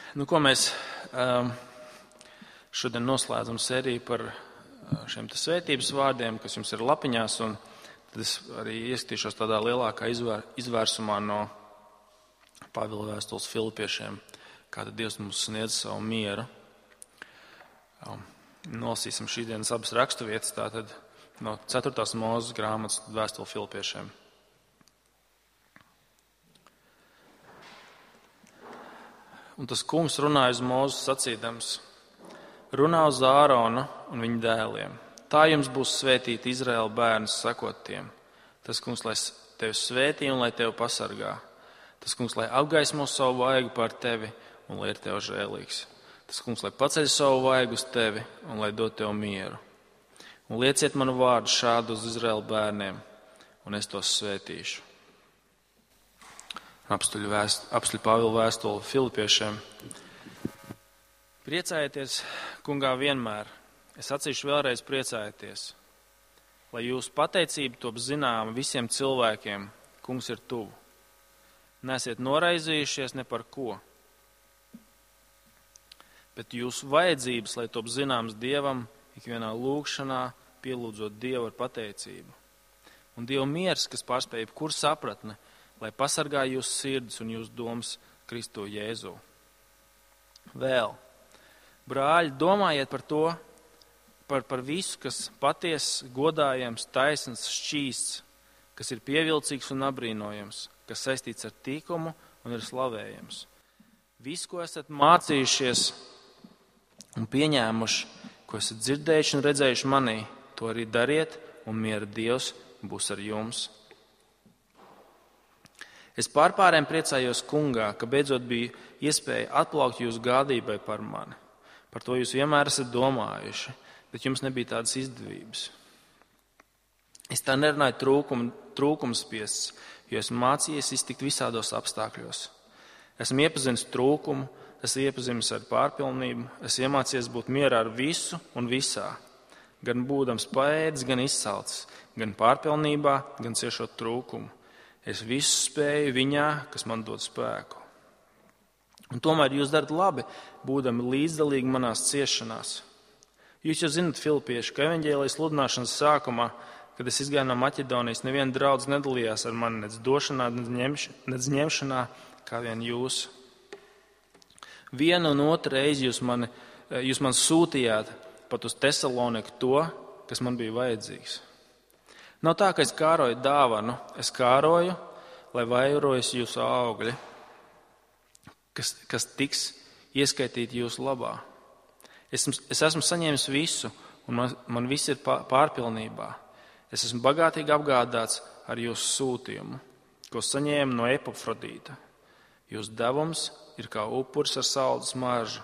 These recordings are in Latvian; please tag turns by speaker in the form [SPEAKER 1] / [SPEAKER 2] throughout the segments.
[SPEAKER 1] Ko mēs šodien noslēdzam sēriju par šiem svētības vārdiem, kas jums ir lapiņās, un tad es arī ieskatīšos tādā lielākā izvērsumā no Pāvila vēstules Filipiešiem, kā tad Dievs mums sniedz savu mieru. Nolasīsim šīdienas abas raksturvietas, tātad no 4. Mūzes grāmatas vēstule Filipiešiem. Un tas kungs runāja uz Mūzu sacīdams: runā uz Āronu un viņa dēliem. Tā jums būs svētīti Izraēla bērni, sakot tiem. Tas kungs, lai tevi svētī un lai tevi pasargā. Tas kungs, lai apgaismo savu vaigu pār tevi un lai ir tev žēlīgs. Tas kungs, lai paceļ savu vaigu uz tevi un lai dod tev mieru. Un lieciet manu vārdu šādu uz Izraēla bērniem, un es tos svētīšu. Apstuļu Pāvila vēstule Filipiešiem. Priecājieties, kungā, vienmēr. Es sacīšu vēlreiz, priecājieties. Lai jūsu pateicība top zināma visiem cilvēkiem, kungs ir tuvu. Neesiet noraizījušies ne par ko. Bet jūsu vajadzības, lai top zināms Dievam, ikvienā lūgšanā, pielūdzot Dievu ar pateicību. Un Dieva miers, kas pārspēj jebkuru sapratni, lai pasargā jūsu sirdis un jūsu domas Kristu Jēzu. Vēl, brāļi, domājiet par to, par visu, kas patiess, godājams, taisns, šķīsts, kas ir pievilcīgs un apbrīnojams, kas saistīts ar tīkumu un ir slavējams. Visu, ko esat mācījušies un pieņēmuši, ko esat dzirdējuši un redzējuši manī, to arī dariet, un miera Dievs būs ar jums. Es pārpārēm priecājos kungā, ka beidzot bija iespēja atplaukt jūsu gādībai par mani. Par to jūs vienmēr esat domājuši, bet jums nebija tādas izdevības. Es tā nerunāju trūkumspiests, jo esmu mācījies iztikt visādos apstākļos. Esmu iepazinis trūkumu, esmu iepazinis ar pārpilnību, esmu iemācījies būt mierā ar visu un visā, gan būdams paēdis, gan izsalcis, gan pārpilnībā, gan ciešot trūkumu. Es visu spēju viņā, kas man dod spēku. Un tomēr jūs darat labi, būdami līdzdalīgi manās ciešanās. Jūs jau zinat, filipieši, ka evaņģēlijas sludināšanas sākumā, kad es izgāju no Maķedonijas, neviena draudz nedalījās ar mani nec došanā, nec ņemšanā, kā vien jūs. Vienu un otru reizi jūs man sūtījāt pat uz Tesaloniku to, kas man bija vajadzīgs. Nav tā, ka es kāroju dāvanu, es kāroju, lai vairojas jūsu augļi, kas tiks ieskaitīti jūsu labā. Es esmu saņēmis visu, un man viss ir pārpilnībā. Es esmu bagātīgi apgādāts ar jūsu sūtījumu, ko saņēmu no Epafrodīta. Jūsu devums ir kā upuris ar saldus maržu,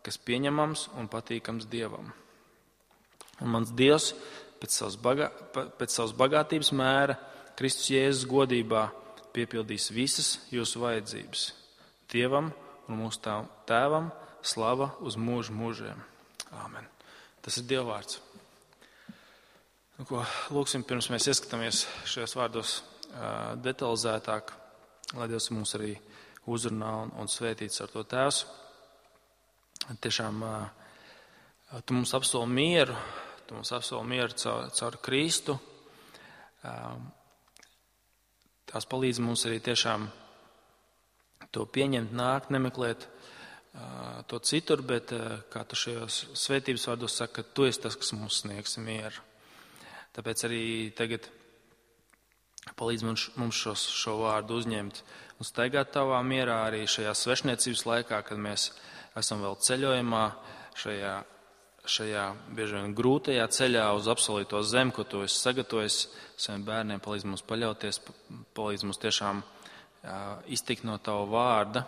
[SPEAKER 1] kas pieņemams un patīkams Dievam. Un mans Dievs pēc savas bagātības mēra Kristus Jēzus godībā piepildīs visas jūsu vajadzības. Dievam un mūsu Tēvam slava uz mūžu mūžiem. Āmen. Tas ir Dieva vārds. Lūksim, pirms mēs ieskatāmies šajos vārdos detalizētāk, lai Dievs mums arī uzrunā un svētīts ar to Tēvs. Tiešām tu mums apsoli mieru. Tu mums apsoli mieru caur Kristu. Tās palīdz mums arī tiešām to pieņemt, nākt, nemeklēt to citur, bet kā tu šajos svētības vārdos saka, ka tu esi tas, kas mums sniegs mieru. Tāpēc arī tagad palīdz mums šo vārdu uzņemt un staigāt tavā mierā arī šajā svešniecības laikā, kad mēs esam vēl ceļojumā šajā bieži vien grūtajā ceļā uz apsolīto zemi, ko tu esi sagatavojis saviem bērniem, palīdz mums paļauties, palīdz mums tiešām iztikt no tava vārda,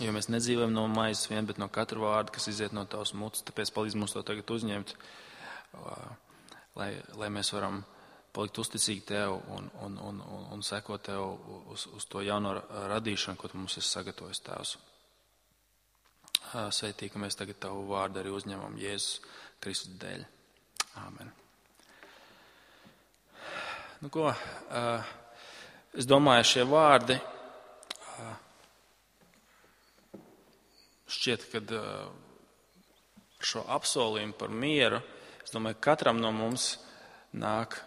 [SPEAKER 1] jo mēs nedzīvojam no maizes vien, bet no katra vārda, kas iziet no tavas mutes, tāpēc palīdz mums to tagad uzņemt, lai mēs varam palikt uzticīgi tev un sekot tev uz to jauno radīšanu, ko tu mums esi sagatavojis, Tēvs. Sveitī, ka mēs tagad tavu vārdu arī uzņemam Jēzus Kristus dēļ. Āmen. Es domāju, šie vārdi šķiet, ka ar šo apsolījumu par mieru, es domāju, katram no mums nāk,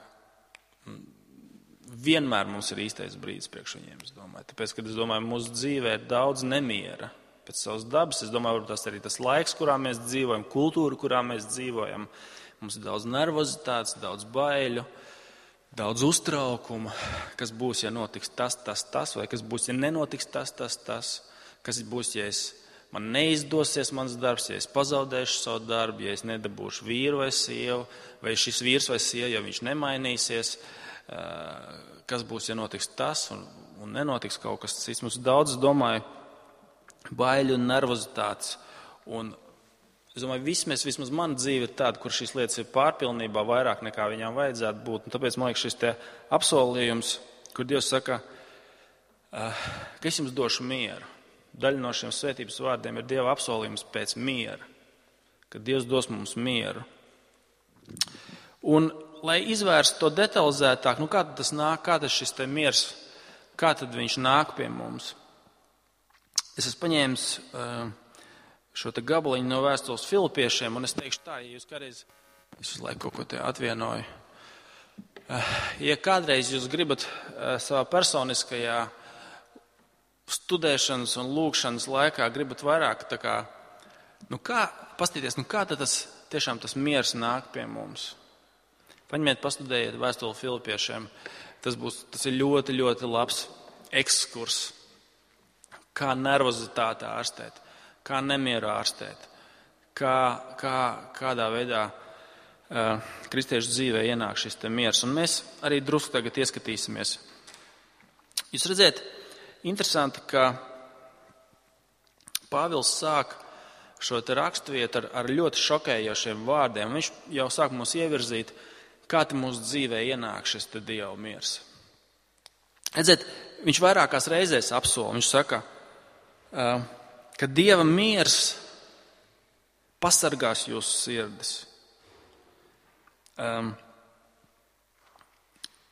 [SPEAKER 1] vienmēr mums ir īstais brīdis priekš viņiem, es domāju. Tāpēc, kad es domāju, mūsu dzīvē ir daudz nemiera pēc savas dabas, es domāju, varbūt tas arī tas laiks, kurā mēs dzīvojam, kultūra, kurā mēs dzīvojam. Mums ir daudz nervozitātes, daudz baiļu, daudz uztraukuma, kas būs, ja notiks tas, vai kas būs, ja nenotiks tas, kas būs, ja man neizdosies mans darbs, ja es pazaudēšu savu darbu, ja es nedabūšu vīru vai sievu, vai šis vīrs vai sieva, ja viņš nemainīsies, kas būs, ja notiks tas un nenotiks kaut kas cits. Mums daudz, es domāju, baiļu un nervozitātes. Un es domāju, vismaz mana dzīve ir tāda, kur šīs lietas ir pārpilnībā vairāk nekā viņām vajadzētu būt. Un tāpēc man liekas šis te apsolījums, kur Dievs saka, ka es jums došu mieru. Daļa no šiem svētības vārdiem ir Dieva apsolījums pēc miera, ka Dievs dos mums mieru. Un, lai izvērstu to detalizētāk, kā tad tas nāk, kā tas šis te miers, kā tad viņš nāk pie mums? Es esmu paņēmis šo te gabaliņu no vēstules Filipiešiem, un es teikšu tā, ja jūs kādreiz, es visu laiku kaut ko te atvienoju, ja kādreiz jūs gribat savā personiskajā studēšanas un lūkšanas laikā gribat vairāk tā kā, pastīties, kā tad tiešām tas miers nāk pie mums. Paņemiet, pastudējiet vēstuli Filipiešiem, tas ir ļoti, ļoti labs ekskurs, kā nervozitāte ārstēt, kā nemieru ārstēt, kādā veidā kristiešu dzīvē ienāk šis te miers. Un mēs arī drusku tagad ieskatīsimies. Jūs redziet, interesanti, ka Pāvils sāk šo te raksturvietu ar ļoti šokējošiem vārdiem. Viņš jau sāk mums ievirzīt, kā te mūsu dzīvē ienāk šis te Dieva miers. Redziet, viņš vairākās reizēs apsola, viņš saka, ka Dieva miers pasargās jūsu sirdis.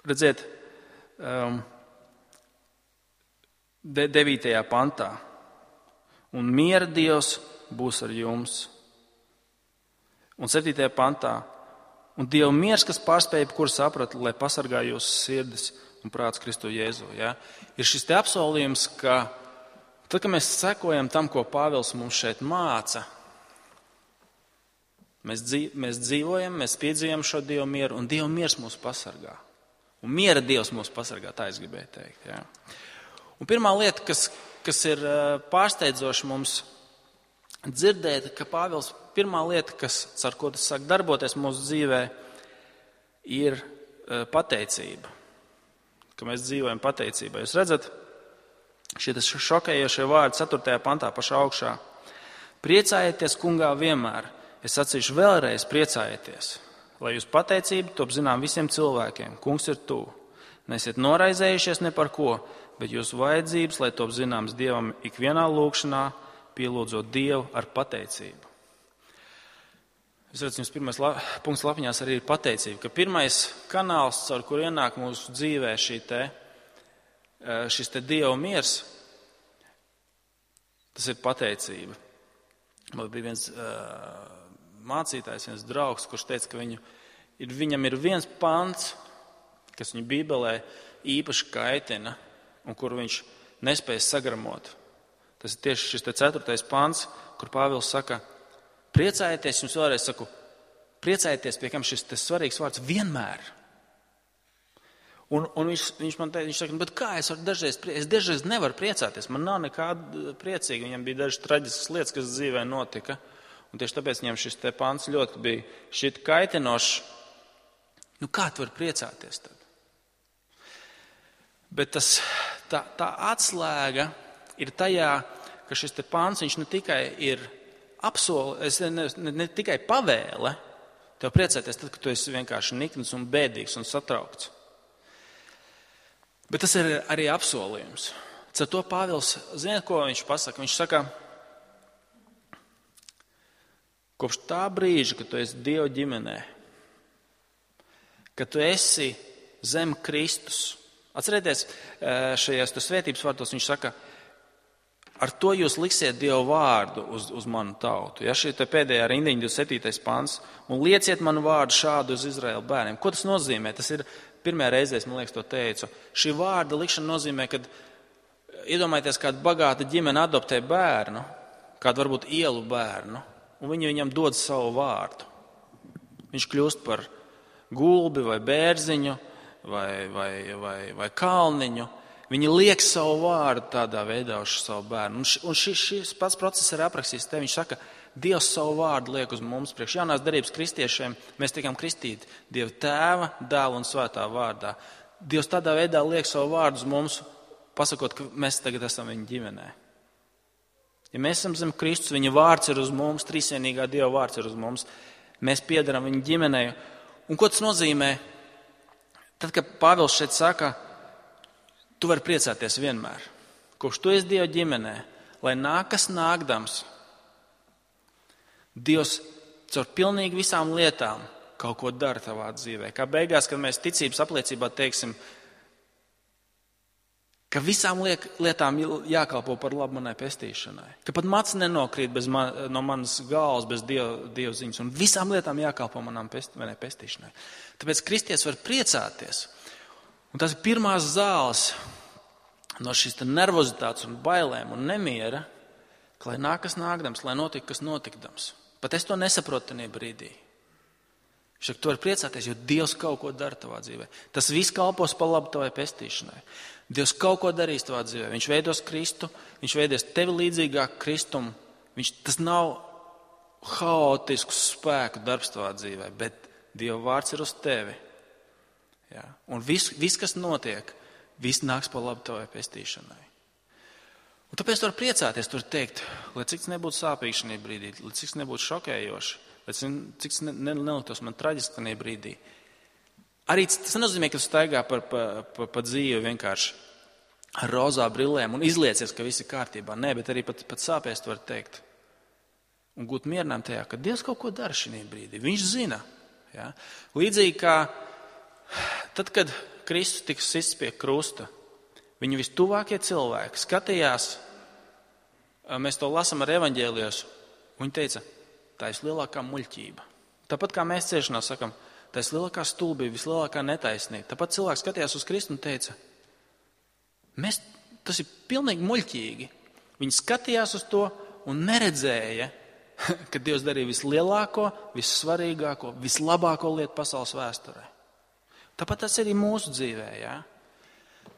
[SPEAKER 1] Redziet, 9. pantā. Un miera Dievs būs ar jums. Un 7. pantā. Un Dieva miers, kas pārspēj jebkuru sapratu, lai pasargā jūsu sirdis un prāts Kristu Jēzu. Ja? Ir šis te apsolījums, ka tad, kad mēs sekojam tam, ko Pāvils mums šeit māca, mēs dzīvojam, mēs piedzīvojam šo Dieva mieru, un Dieva miers mūs pasargā. Un miera Dievs mūs pasargā, tā es gribēju teikt. Ja? Un pirmā lieta, kas ir pārsteidzoša mums dzirdēt, ka Pāvils pirmā lieta, ar ko tas sāk darboties mūsu dzīvē, ir pateicība. Ka mēs dzīvojam pateicībā. Jūs redzat, šie šokējošie vārdi 4. pantā pašā augšā. Priecājieties kungā vienmēr. Es sacīšu vēlreiz priecājieties, lai jūs pateicība top zinām visiem cilvēkiem. Kungs ir tuvu. Nesiet noraizējušies ne par ko, bet jūsu vajadzības, lai top zināms Dievam ikvienā lūkšanā, pielūdzot Dievu ar pateicību. Es redzu, jums pirmais punkts lapiņās arī ir pateicība, ka pirmais kanāls, caur kur ienāk mūsu dzīvē šis te Dieva miers, tas ir pateicība. Man bija viens mācītājs, viens draugs, kurš teica, ka viņam ir viens pants, kas viņu Bībelē īpaši kaitina un kur viņš nespēja sagramot. Tas ir tieši šis te 4. pants, kur Pāvils saka, priecājieties, jums vēlreiz saku, priecājieties, pie kam šis te svarīgs vārds vienmēr. Un viņš man teica, viņš saka, bet kā es dažreiz nevaru priecāties, man nav nekāda priecīga, viņam bija dažas traģiskas lietas, kas dzīvē notika, un tieši tāpēc viņam šis te pants ļoti bija šit kaitinošs. Kā tu vari priecāties tad? Bet tā atslēga ir tajā, ka šis te pants, viņš ne tikai ir ne tikai pavēle tev priecāties tad, kad tu esi vienkārši nikns un bēdīgs un satraukts. Bet tas ir arī apsolījums. Ar to Pāvils, ziniet, ko viņš pasaka? Viņš saka, kopš tā brīža, kad tu esi Dieva ģimenē, kad tu esi zem Kristus. Atcerieties, šajās svētības vārtos viņš saka, ar to jūs liksiet Dieva vārdu uz manu tautu. Ja, šī pēdējā rindiņa, 27. pants. Un lieciet manu vārdu šādu uz Izraēla bērniem. Ko tas nozīmē? Tas ir pirmajā reizē, man liekas, to teicu. Šī vārda likšana nozīmē, ka iedomājieties, kāda bagāta ģimene adoptē bērnu, kādu varbūt ielu bērnu, un viņi viņam dod savu vārdu. Viņš kļūst par gulbi vai bērziņu vai kalniņu. Viņi liek savu vārdu tādā veidā uz savu bērnu. Un šis pats process ir aprakstīts te. Viņš saka, Dievs savu vārdu liek uz mums priekš. Jaunās derības kristiešiem mēs tikām kristīti Dieva Tēva, Dēla un Svētā vārdā. Dievs tādā veidā liek savu vārdu uz mums, pasakot, ka mēs tagad esam viņa ģimenē. Ja mēs esam zem Kristus, viņa vārds ir uz mums, trīsvienīgā Dieva vārds ir uz mums. Mēs piedaram viņa ģimenei. Un ko tas nozīmē? Tad, kad Pāvils šeit saka, tu vari priecāties vienmēr. Kopš tu esi Dieva ģimenē, lai nākas nākdams, Dievs caur pilnīgi visām lietām kaut ko dara tavā dzīvē. Kā beigās, kad mēs ticības apliecībā teiksim, ka visām lietām jākalpo par labu manai pestīšanai. Ka pat mats nenokrīt no manas galvas bez Dieva ziņas. Un visām lietām jākalpo manai pestīšanai. Tāpēc kristietis var priecāties. Un tas ir pirmās zāles no šīs nervozitātes un bailēm un nemiera, ka lai nākas nākdams, lai notika, kas notikdams. Pat es to nesaprotu tajā brīdī. Viņš saka, tu vari priecāties, jo Dievs kaut ko dara tavā dzīvē. Tas viss kalpos par labu tavai pestīšanai. Dievs kaut ko darīs tavā dzīvē. Viņš veidos Kristu, viņš veidos tevi līdzīgāk Kristum. Tas nav haotisks spēku darbs tavā dzīvē, bet Dieva vārds ir uz tevi. Ja? Un viss, kas notiek, viss nāks par labu tavai pestīšanai. Un tāpēc tu vari priecāties, tu vari teikt, lai cik tas nebūtu sāpīgi šajā brīdī, lai cik tas nebūtu šokējoši, lai cik tas neliktos man traģiski šajā brīdī. Arī tas nenozīmē, ka tu staigā pa dzīvi vienkārši ar rozā brillēm un izliecies, ka viss ir kārtībā. Nē, bet arī pat sāpēs tu vari teikt. Un gūt mierinājumu tajā, ka Dievs kaut ko dara šajā brīdī. Viņš zina. Ja? Līdzīgi kā tad, kad Kristus tika sists pie krusta, viņu vistuvākie cilvēki skatījās, mēs to lasām ar evaņģēlijos, viņi teica, tā ir lielākā muļķība. Tāpat kā mēs ciešanā sakam, tā ir lielākā stulbība, vislielākā netaisnība. Tāpat cilvēks skatījās uz Kristu un teica, tas ir pilnīgi muļķīgi. Viņi skatījās uz to un neredzēja, ka Dievs darīja vislielāko, vissvarīgāko, vislabāko lietu pasaules vēsturē. Tāpat tas arī mūsu dzīvē. Ja?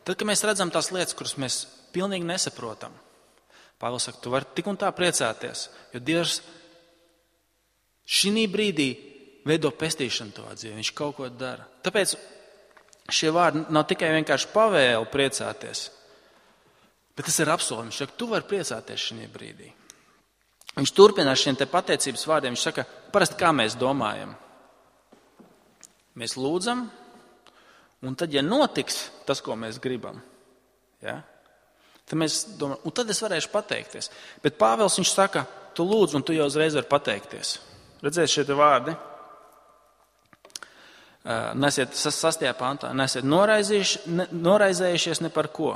[SPEAKER 1] Tad, kad mēs redzam tās lietas, kuras mēs pilnīgi nesaprotam, Pāvils saka, tu vari tik un tā priecāties, jo Dievs šī brīdī veido pestīšanu tavā dzīvē. Viņš kaut ko dara. Tāpēc šie vārdi nav tikai vienkārši pavēle priecāties, bet tas ir apsolījums. Viņš saka, tu vari priecāties šī brīdī. Viņš turpina ar šiem te pateicības vārdiem. Viņš saka, parasti kā mēs domājam. Mēs lūdzam, un tad, ja notiks tas, ko mēs gribam, ja, tad mēs domājam, un tad es varēšu pateikties. Bet Pāvils viņš saka, tu lūdz, un tu jau uzreiz vari pateikties. Redzēs šie te vārdi. Nesiet 6. pantā, nesiet noraizējušies ne par ko,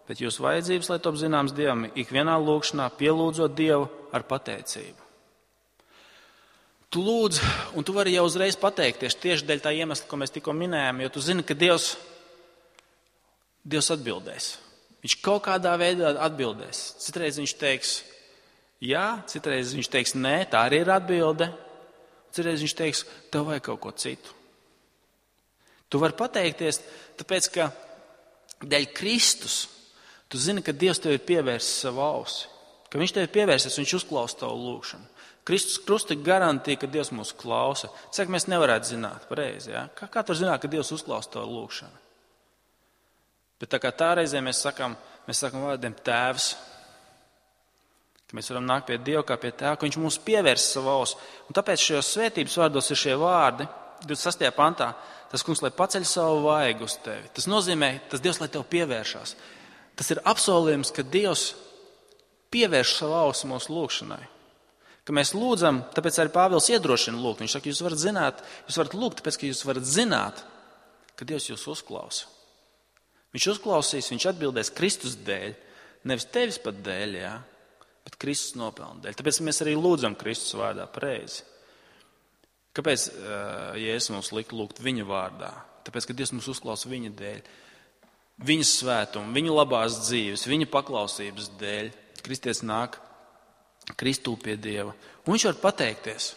[SPEAKER 1] bet jūs vajadzības, lai top zināms Dievam, ikvienā lūgšanā pielūdzot Dievu ar pateicību. Tu lūdz, un tu vari jau uzreiz pateikties tieši dēļ tā iemesla, ko mēs tikko minējām, jo tu zini, ka Dievs atbildēs. Viņš kaut kādā veidā atbildēs. Citreiz viņš teiks jā, citreiz viņš teiks nē, tā arī ir atbilde. Citreiz viņš teiks, tev vajag kaut ko citu. Tu vari pateikties, tāpēc, ka dēļ Kristus tu zini, ka Dievs tev ir pievērsis savu ausi. Ka viņš tev ir pievērsis, viņš uzklausa tavu lūgšanu. Kristus krusta garantīja, ka Dievs mūs klausa. Cik mēs nevarētu zināt pareizi, ja? Kā tur zināt, ka Dievs uzklausa tavu lūgšanu? Bet tā kā tā reizē mēs sakam vārdiem Tēvs, ka mēs varam nākt pie Dieva kā pie Tēva, ka viņš mūs pievērsa savu ausi. Un tāpēc šajos svētības vārdos ir šie vārdi, 26. pantā, tas kungs, lai paceļ savu vaigu uz tevi. Tas nozīmē, tas Dievs, lai tev pievēršās. Tas ir apsolījums, ka Dievs pievērš savu ausi mūsu lūgšanai. Ka mēs lūdzam, tāpēc arī Pāvils iedrošina lūgt. Viņš saka, jūs varat lūgt, tāpēc, ka jūs varat zināt, ka Dievs jūs uzklausa. Viņš uzklausīs, viņš atbildēs Kristus dēļ, Nevis tevis pat dēļ, jā, bet Kristus nopelna dēļ. Tāpēc mēs arī lūdzam Kristus vārdā pareizi. Kāpēc Jēzus mums lika lūgt viņa vārdā? Tāpēc, ka Dievs mums uzklausa viņa dēļ. Viņa svētuma, viņa labās dzīves, viņa paklausības dēļ. Kristietis nāk Kristū pie Dieva. Un viņš var pateikties.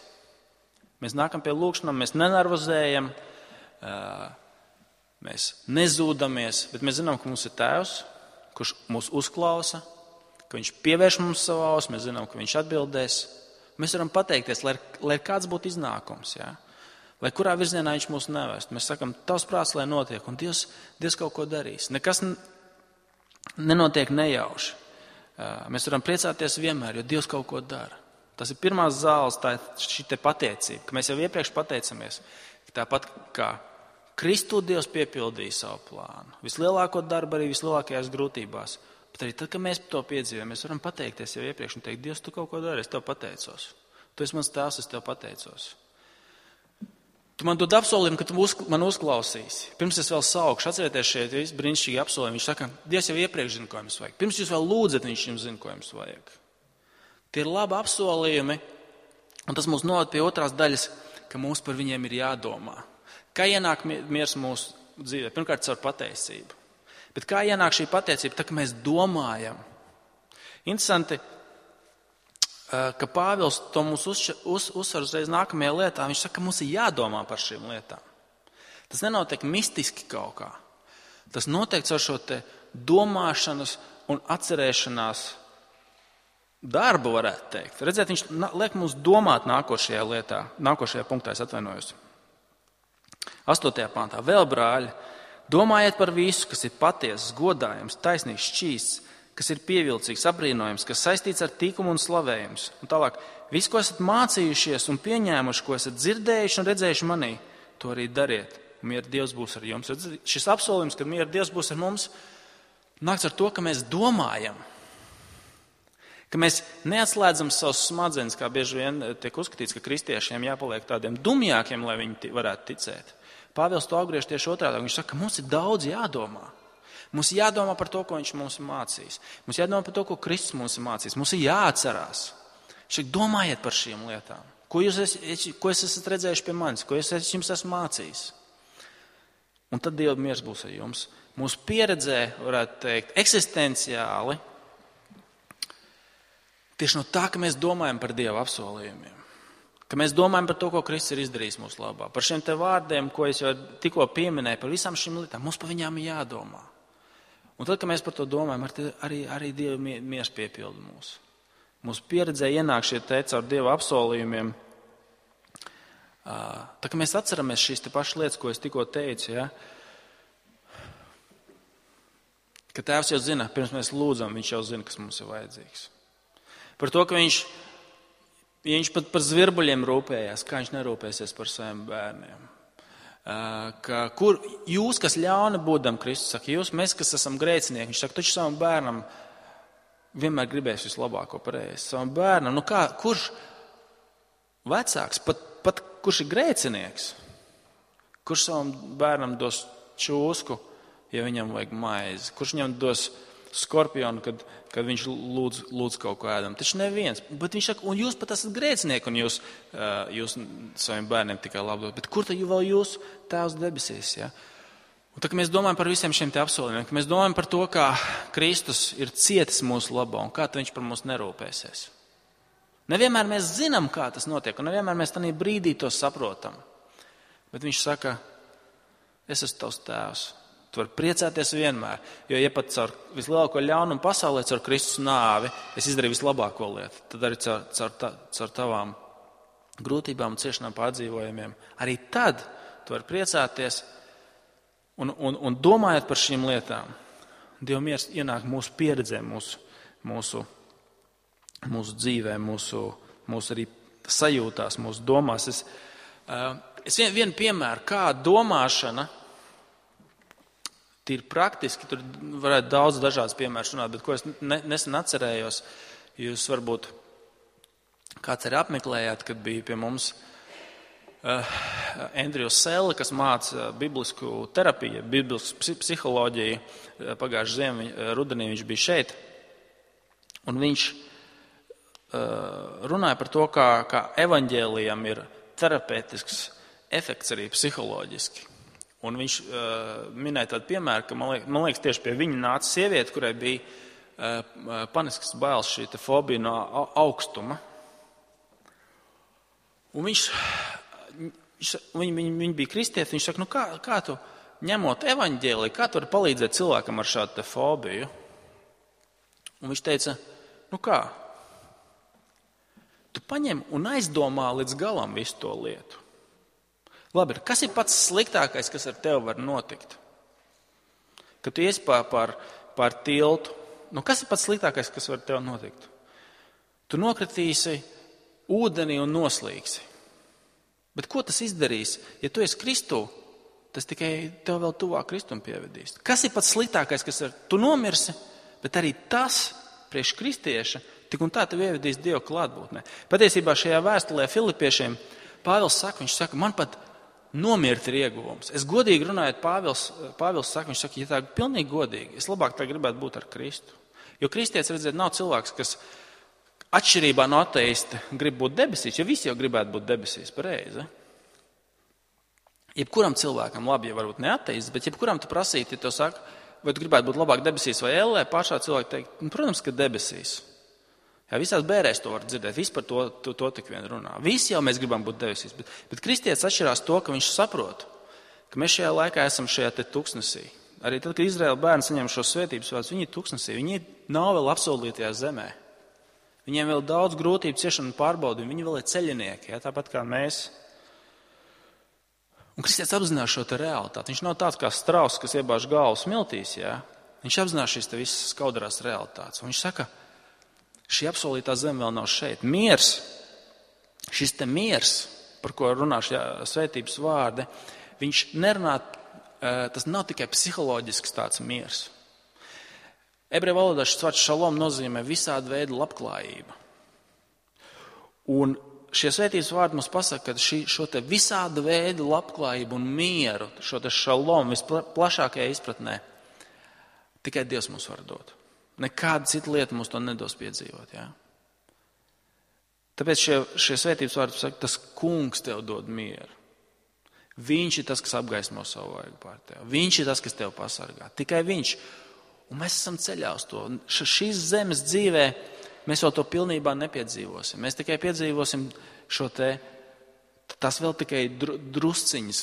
[SPEAKER 1] Mēs nākam pie lūkšanām, mēs nenervozējam, mēs nezūdamies, bet mēs zinām, ka mums ir Tēvs, kurš mūs uzklausa, ka viņš pievērš mums savu ausi, mēs zinām, ka viņš atbildēs. Mēs varam pateikties, lai kāds būtu iznākums, jā? Lai kurā virzienā viņš mūs nevest. Mēs sakam, tavs prāts, lai notiek, un Dievs kaut ko darīs. Nekas nenotiek nejauši. Mēs varam priecāties vienmēr, jo Dievs kaut ko dara. Tas ir pirmās zāles, tā ir šī te pateicība, ka mēs jau iepriekš pateicamies. Tāpat kā Kristū Dievs piepildīja savu plānu. Vislielāko darbu arī vislielākajās grūtībās. Bet arī tad, kad mēs to piedzīvojam, mēs varam pateikties jau iepriekš un teikt, Dievs, tu kaut ko dari, es tev pateicos. Tu esi mans tēvs, es tev pateicos. Tu man dod apsolījumu, ka tu man uzklausīsi. Pirms es vēl saukšu, atcerieties šeit visi brīnišķīgi apsolījumi. Viņš saka, Dievs jau iepriekš zina, ko jums vajag. Pirms jūs vēl lūdzat, viņš jums zina, ko jums vajag. Tie ir labi apsolījumi, un tas mūs noved pie otrās daļas, ka mums par viņiem ir jādomā. Kā ienāk miers mūsu dzīvē? Pirmkārt, caur pateicību. Bet kā ienāk šī pateicība? Tā, ka mēs domājam. Interesanti, ka Pāvils to mums uzsver uzreiz nākamajā lietā. Viņš saka, ka mums ir jādomā par šīm lietām. Tas nenotiek mistiski kaut kā. Tas notiek caur šo te domāšanas un atcerēšanās darbu, varētu teikt. Redziet, viņš liek mums domāt nākošajā lietā, nākošajā punktā, es atvainojos. 8. pantā. Vēl, brāļi, domājiet par visu, kas ir patiesas, godājams, taisnīgs, šķīsts, kas ir pievilcīgs, apbrīnojams, kas saistīts ar tīkumu un slavējums. Un tālāk, visu, ko esat mācījušies un pieņēmuši, ko esat dzirdējuši un redzējuši manī, to arī dariet. Miera Dievs būs ar jums. Šis apsolījums, ka miera Dievs būs ar mums, nāks ar to, ka mēs domājam. Ka mēs neatslēdzam savus smadzenes, kā bieži vien tiek uzskatīts, ka kristiešiem jāpaliek tādiem dumjākiem, lai viņi varētu ticēt. Pāvils to apgriež tieši otrādi. Viņš saka, ka mums ir daudz jādomā. Mums ir jādomā par to, ko viņš mums ir mācījis. Mums ir jādomā par to, ko Kristus mums ir mācījis. Mums ir jāatcerās. Šeit domājiet par šīm lietām. Ko jūs esat redzējuši pie manis? Ko es jums esmu mācījis? Un tad Dieva miers būs ar jums. Mūsu pieredzē, varētu teikt, eksistenciāli, tieši no tā, ka mēs domājam par Dieva apsolījumiem. Ka mēs domājam par to, ko Kristus ir izdarījis mūsu labā. Par šiem te vārdiem, ko es jau tikko pieminēju, par visām šīm lietām, mums par viņām ir jādomā. Un tad, kad mēs par to domājam, arī Dieva miers piepilda mūs. Mūsu pieredzē ienāk šie te caur Dieva apsolījumiem. Tā kā mēs atceramies šīs te pašas lietas, ko es tikko teicu, ja? Ka Tēvs jau zina, pirms mēs lūdzam, viņš jau zina, kas mums ir vajadzīgs. Par to, ka viņš pat par zvirbuļiem rūpējās, kā viņš nerūpēsies par saviem bērniem. Kur jūs, kas ļauni būdam, Kristus saka, mēs, kas esam grēcinieki, viņš saka, taču savam bērnam vienmēr gribēs vislabāko pareizi. Savam bērnam, kurš vecāks, pat kurš ir grēcinieks, kurš savam bērnam dos čūsku, ja viņam vajag maizi, kurš viņam dos skorpionu, kad viņš lūdz kaut ko ēdam. Taču neviens. Bet viņš saka, un jūs pat esat grēcinieki, un jūs saviem bērniem tikai labdot. Bet kur tad vēl jūs Tēvs debesīs? Ja? Un tā, ka mēs domājam par visiem šiem te apsolījumiem, ka mēs domājam par to, kā Kristus ir cietis mūsu labā, un kā viņš par mums nerūpēsies. Nevienmēr mēs zinām, kā tas notiek, un nevienmēr mēs tādā brīdī to saprotam. Bet viņš saka, es esmu tavs Tēvs. Tu vari priecāties vienmēr, jo ja pat caur vislielāko ļaunumu pasaulē, caur Kristus nāvi, es izdarīju vislabāko lietu. Tad arī caur tavām grūtībām un ciešanām pārdzīvojumiem. Arī tad tu vari priecāties un domājot par šīm lietām. Dieva miers ienāk mūsu pieredzē, mūsu dzīvē, mūsu arī sajūtās, mūsu domās. Es vienu piemēru, kā domāšana ir praktiski, tur varētu daudz dažādas piemērus runāt, bet ko es nesen atcerējos, jūs varbūt kāds arī apmeklējāt, kad bija pie mums Andrijs Selle, kas māca biblisku terapiju, biblisku psiholoģiju. Pagājušajā rudenī viņš bija šeit. Un viņš runāja par to, kā evaņģēlijam ir terapeitisks efekts arī psiholoģiski. Un viņš minēja tādu piemēru, ka man liekas tieši pie viņa nāca sieviete, kurai bija paniskas bailes, šī fobija no augstuma. Un viņi bija kristieti, viņš saka, kā tu ņemot evaņģēliju, kā tu vari palīdzēt cilvēkam ar šādu fobiju? Un viņš teica, kā? Tu paņem un aizdomā līdz galam visu to lietu. Labi, kas ir pats sliktākais, kas ar tevi var notikt? Kad tu iesi pār tiltu, kas ir pats sliktākais, kas var ar tevi notikt? Tu nokritīsi ūdenī un noslīgsi. Bet ko tas izdarīs? Ja tu esi Kristū, tas tikai tev vēl tuvāk Kristum pievedīs. Kas ir pats sliktākais, kas tu nomirsi, bet arī tas priekš kristieša tik un tā tev ievedīs Dieva klātbūtnē. Patiesībā šajā vēstulē Filipiešiem Pāvils saka, viņš saka, man pat nomirt ir ieguvums. Es godīgi runājot, Pāvils saka, viņš saka, ja tā pilnīgi godīgi, es labāk tā gribētu būt ar Kristu. Jo kristietis, redziet, nav cilvēks, kas atšķirībā no ateista grib būt debesīs, jo visi jau gribētu būt debesīs, pareizi. Jebkuram cilvēkam, labi, ja varbūt ne ateists, bet jebkuram tu prasītu, ja tev saka, vai tu gribētu būt labāk debesīs vai ellē, pašā cilvēki teikt, protams, ka debesīs. Jā, visās bērēs to var dzirdēt, visi par to tik vien runā. Visi jau mēs gribam būt debesīs, bet kristietis atšķirās to, ka viņš saprot, ka mēs šajā laikā esam šajā te tuksnesī. Arī tad, kad Izraēla bērni saņem šo svētības vārdus, viņi ir tuksnesī, viņi nav vēl apsolītajā zemē. Viņiem vēl daudz grūtību, ciešanu un pārbaudījumu, viņi vēl ir ceļinieki, jā, tāpat kā mēs. Un kristietis apzinās šo te realitāti. Viņš nav tāds kā strauss, kas iebāž galvu smiltīs, jā. Viņš apzinās šīs te visas skaudarās realitātes. Un viņš saka, šī apsolītā zeme vēl nav šeit. Miers, šis te miers, par ko runā šie svētības vārdi, viņš nerunā, tas nav tikai psiholoģisks tāds miers. Ebreju valodā šis vārds šalom nozīmē visādu veidu labklājība. Un šie svētības vārdi mums pasaka, ka šo te visādu veidu labklājību un mieru, šo te šalom visplašākajā izpratnē, tikai Dievs mums var dot. Nekāda cita lieta mums to nedos piedzīvot. Jā? Tāpēc šie svētības vārdi saka, tas kungs tev dod mieru. Viņš ir tas, kas apgaismo savu vaigu pār tevi. Viņš ir tas, kas tev pasargā. Tikai viņš. Un mēs esam ceļā uz to. Šīs zemes dzīvē mēs vēl to pilnībā nepiedzīvosim. Mēs tikai piedzīvosim šo te, tas vēl tikai drusciņas.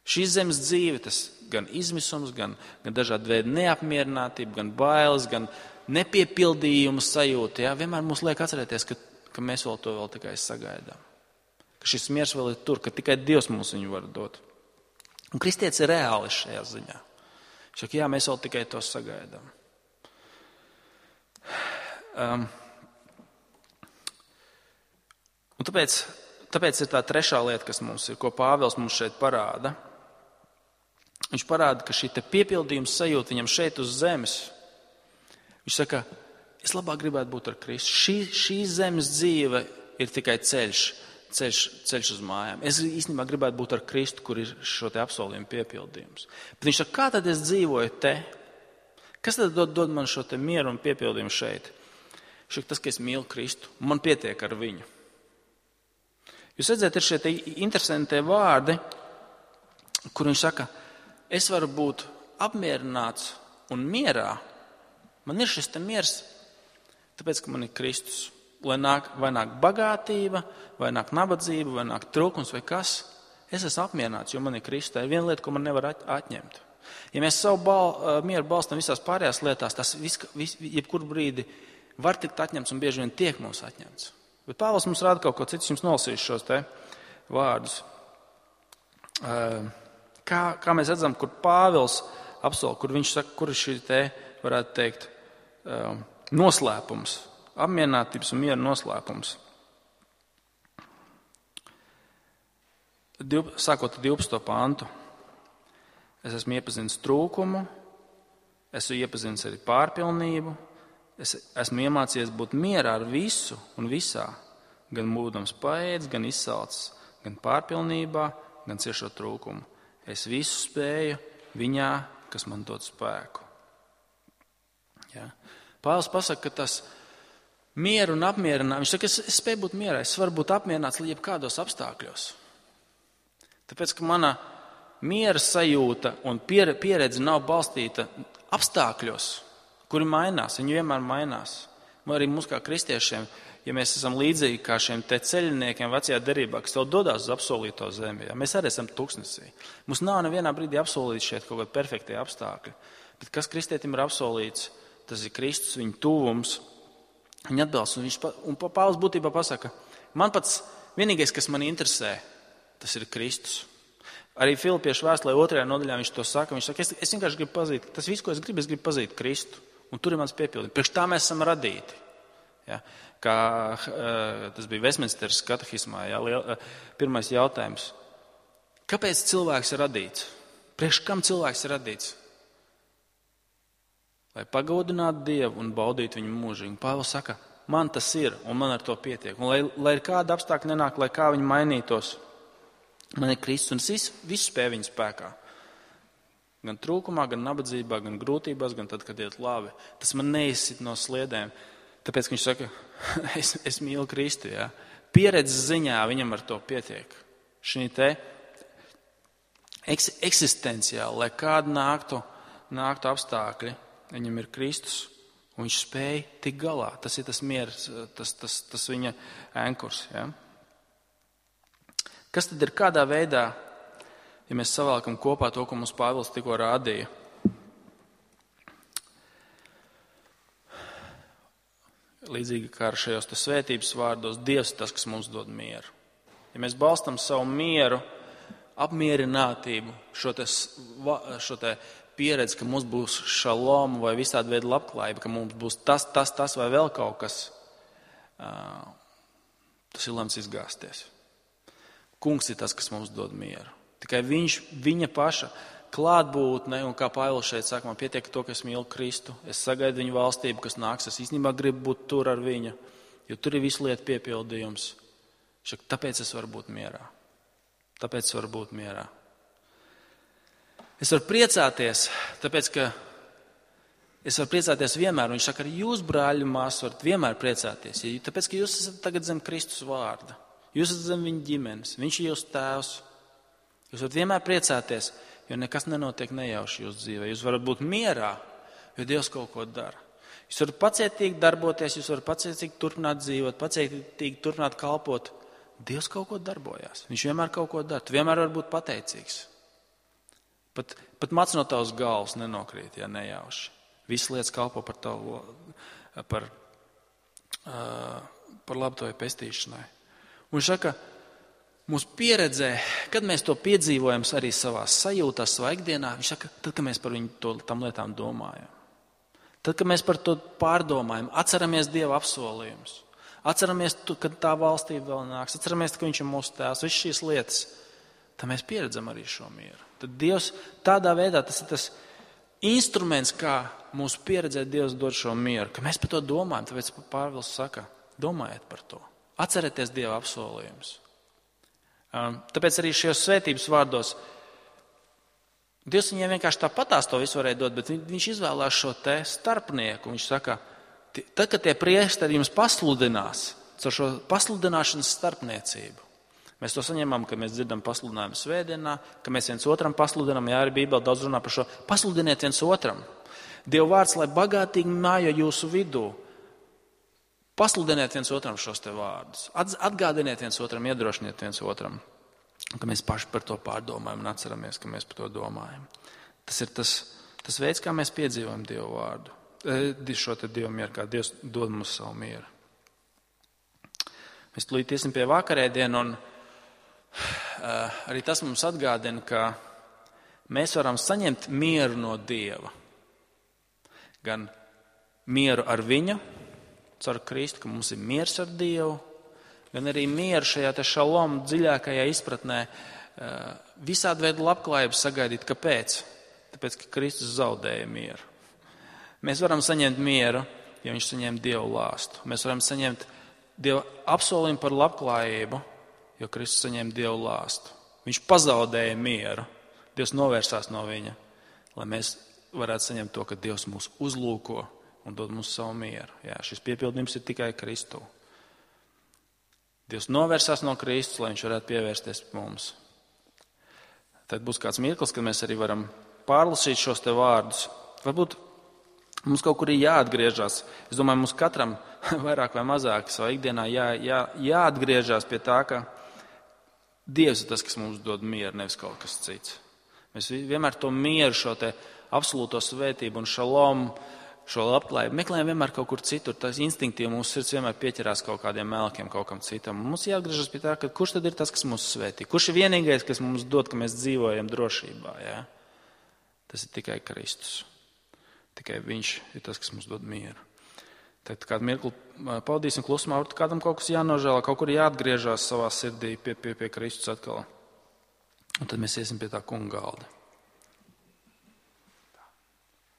[SPEAKER 1] Šīs zemes dzīve, tas gan izmisums, gan dažādi veidi neapmierinātība, gan bailes, gan nepiepildījuma sajūta. Jā? Vienmēr mums liek atcerēties, ka mēs vēl to vēl tikai sagaidām. Ka šis miers vēl ir tur, ka tikai Dievs mums viņu var dot. Un kristietis ir reāli šajā ziņā. Viņš saka, jā, mēs vēl tikai to sagaidām. Un tāpēc ir tā trešā lieta, kas mums ir, ko Pāvils mums šeit parāda. Viņš parāda, ka šī te piepildījums sajūta viņam šeit uz zemes. Viņš saka, es labāk gribētu būt ar Kristu. Šī zemes dzīve ir tikai ceļš uz mājām. Es īstenībā gribētu būt ar Kristu, kur ir šo te apsolījumu piepildījums. Bet viņš saka, kā tad es dzīvoju te? Kas tad dod man šo te mieru un piepildījumu šeit? Viņš saka, tas, ka es mīlu Kristu, man pietiek ar viņu. Jūs redzat, ir šie te interesantie vārdi, kur viņš saka, es varu būt apmierināts un mierā. Man ir šis te miers, tāpēc, ka man ir Kristus. Vai nāk bagātība, vai nāk nabadzība, vai nāk trūkums, vai kas. Es esmu apmierināts, jo man ir Kristus. Tā ir viena lieta, ko man nevar atņemt. Ja mēs savu mieru balstam visās pārējās lietās, tas jebkur brīdi var tikt atņemts un bieži vien tiek mums atņemts. Bet Pāvils mums rāda kaut ko citu, jums nolasīšu šos te vārdus. Kā mēs redzam, kur Pāvils apsola, kur viņš saka, kur ir šī te, varētu teikt, noslēpums, apmierinātības un miera noslēpums. Sākot ar 12. pantu. Es esmu iepazinis trūkumu, esmu iepazinis arī pārpilnību, es esmu iemācījies būt mierā ar visu un visā, gan būdams paēdis, gan izsalcis, gan pārpilnībā, gan ciešot trūkumu. Es visu spēju viņā, kas man dod spēku. Ja? Pāvils pasaka, ka tas mieru un apmierinājumu, viņš saka, es spēju būt mierā, es varu būt apmierināts jebkādos apstākļos. Tāpēc, ka mana miera sajūta un pieredze nav balstīta apstākļos, kuri mainās, viņi vienmēr mainās. Arī mums kā kristiešiem, ja mēs esam līdzīgi kā šiem te ceļniekiem vecajā derībā, kas tev dodās uz apsolīto zemi, ja? Mēs arī esam tuksnesī. Mums nav nevienā brīdī apsolīts šeit kaut kādi perfektie apstākļi. Bet kas kristietim ir apsolīts, tas ir Kristus, viņa tuvums, viņa atbalsts. Un Pāvils būtībā pasaka, man pats vienīgais, kas man interesē, tas ir Kristus. Arī Filipiešu vēstulē 2. nodaļā viņš to saka. Viņš saka, es vienkārši gribu pazīt, tas viss, ko es gribu pazīt Kristu. Un tur ir mans piepildījums. Priekš tā mēs esam radīti. Ja? Kā tas bija Vestminsteras katehismā, ja? Pirmais jautājums. Kāpēc cilvēks ir radīts? Priekš kam cilvēks ir radīts? Lai pagodinātu Dievu un baudītu viņu mūžīgi. Pāvils saka, man tas ir un man ar to pietiek. Un lai ir kāda apstākļa nenāk, lai kā viņi mainītos, man ir Kristus un es visu spēju viņa spēkā. Gan trūkumā, gan nabadzībā, gan grūtībās, gan tad, kad iet labi. Tas man neizsit no sliedēm. Tāpēc, ka viņš saka, es mīlu Kristu. Ja? Pieredzes ziņā viņam ar to pietiek. Šī te eksistenciāli, lai kāda nāktu apstākļi, viņam ir Kristus, un viņš spēja tikt galā. Tas ir tas miers, tas viņa ankurs. Ja? Kas tad ir kādā veidā, ja mēs savēlkam kopā to, ko mums Pāvils tikko rādīja? Līdzīgi kā ar šajos svētības vārdos, Dievs ir tas, kas mums dod mieru. Ja mēs balstam savu mieru, apmierinātību, šo te pieredzi, ka mums būs šalom vai visādi veidi labklājība, ka mums būs tas vai vēl kaut kas, tas ir lemts izgāzties. Kungs ir tas, kas mums dod mieru. Tikai viņa paša klātbūtne, un kā Pāvils šeit saka, man pietiek to, ka es mīlu Kristu, es sagaidu viņu valstību, kas nāks, es īstenībā gribu būt tur ar viņu, jo tur ir visu lietu piepildījums. Tāpēc es varu būt mierā. Es varu priecāties, tāpēc, ka es varu priecāties vienmēr, un viņš saka, arī jūs, brāļi un māsas, varat vienmēr priecāties, tāpēc, ka jūs esat tagad zem Kristus vārda, jūs esat zem viņa ģimenes, viņš ir jūsu tēvs. Jūs varat vienmēr priecāties, jo nekas nenotiek nejauši jūsu dzīvē. Jūs varat būt mierā, jo Dievs kaut ko dara. Jūs varat pacietīgi darboties, jūs varat pacietīgi turpināt dzīvot, pacietīgi turpināt kalpot. Dievs kaut ko darbojās. Viņš vienmēr kaut ko dara. Tu vienmēr vari būt pateicīgs. Pat mats no tavas galvas nenokrīt, ja nejauši. Visas lietas kalpo par tavu, par labu tavai pestīšanai. Un viņš saka, mūsu pieredzē, kad mēs to piedzīvojam arī savā sajūtās, savā ikdienā, viņš saka, tad, kad mēs par viņu tam lietām domājam. Tad, kad mēs par to pārdomājam, atceramies Dieva apsolījumus, atceramies, kad tā valstība vēl nāks, atceramies, ka viņš ir mūsu tēvs, visas šīs lietas, tad mēs pieredzam arī šo mieru. Tad Dievs tādā veidā, tas ir tas instruments, kā mūsu pieredzē Dievs dod šo mieru, ka mēs par to domājam, tāpēc Pāvils saka, domājiet par to, atcerieties Dieva apsolījumus. Tāpēc arī šajos svētības vārdos Dievs viņiem vienkārši tāpatās to visu varēja dot, bet viņš izvēlās šo te starpnieku. Viņš saka, tad, kad tie priesteri jums pasludinās, caur šo pasludināšanas starpniecību. Mēs to saņemam, kad mēs dzirdam pasludinājumu svētdienā, ka mēs viens otram pasludinām, jā, arī Bībele daudz runā par šo. Pasludiniet viens otram. Dieva vārds, lai bagātīgi mājo jūsu vidū. Pasludiniet viens otram šos te vārdus. Atgādiniet viens otram, iedrošiniet viens otram, ka mēs paši par to pārdomājam un atceramies, ka mēs par to domājam. Tas ir tas veids, kā mēs piedzīvojam Dievu vārdu. Šo te Dievu mieru, kā Dievs dod mums savu mieru. Mēs tūlīt iesim pie vakarēdienu, un arī tas mums atgādina, ka mēs varam saņemt mieru no Dieva. Gan mieru ar viņu, caur Kristu, ka mums ir miers ar Dievu, gan arī mieru šajā te šalom dziļākajā izpratnē, visādi veidu labklājību sagaidīt. Kāpēc? Tāpēc, ka Kristus zaudēja mieru. Mēs varam saņemt mieru, ja viņš saņem Dievu lāstu. Mēs varam saņemt Dieva apsolījumu par labklājību, jo Kristus saņem Dievu lāstu. Viņš pazaudēja mieru. Dievs novērsās no viņa, lai mēs varētu saņemt to, ka Dievs mūs uzlūko un dod mums savu mieru. Jā, šis piepildījums ir tikai Kristū. Dievs novērsās no Kristus, lai viņš varētu pievērsties mums. Tad būs kāds mirklis, kad mēs arī varam pārlasīt šos te vārdus. Varbūt mums kaut kur ir jāatgriežas. Es domāju, mums katram vairāk vai mazāk savā ikdienā jāatgriežas pie tā, ka Dievs ir tas, kas mums dod mieru, nevis kaut kas cits. Mēs vienmēr to mieru, šo te absolūto svētību un šalomu, šo labklājību meklējam vienmēr kaut kur citur. Tas instinktīvi mūsu sirds vienmēr pieķerās kaut kādiem melkiem, kaut kam citam. Mums jāatgriežas pie tā, ka kurš tad ir tas, kas mūs svētī? Kurš ir vienīgais, kas mums dod, ka mēs dzīvojam drošībā? Ja? Tas ir tikai Kristus. Tikai viņš ir tas, kas mums dod mieru. Tad kādu mirkli pavadīsim klusumā, varbūt kādam kaut kas jānožēlā, kaut kur jāatgriežas savā sirdī pie Kristus atkal. Un tad mēs iesim pie tā kunga galda.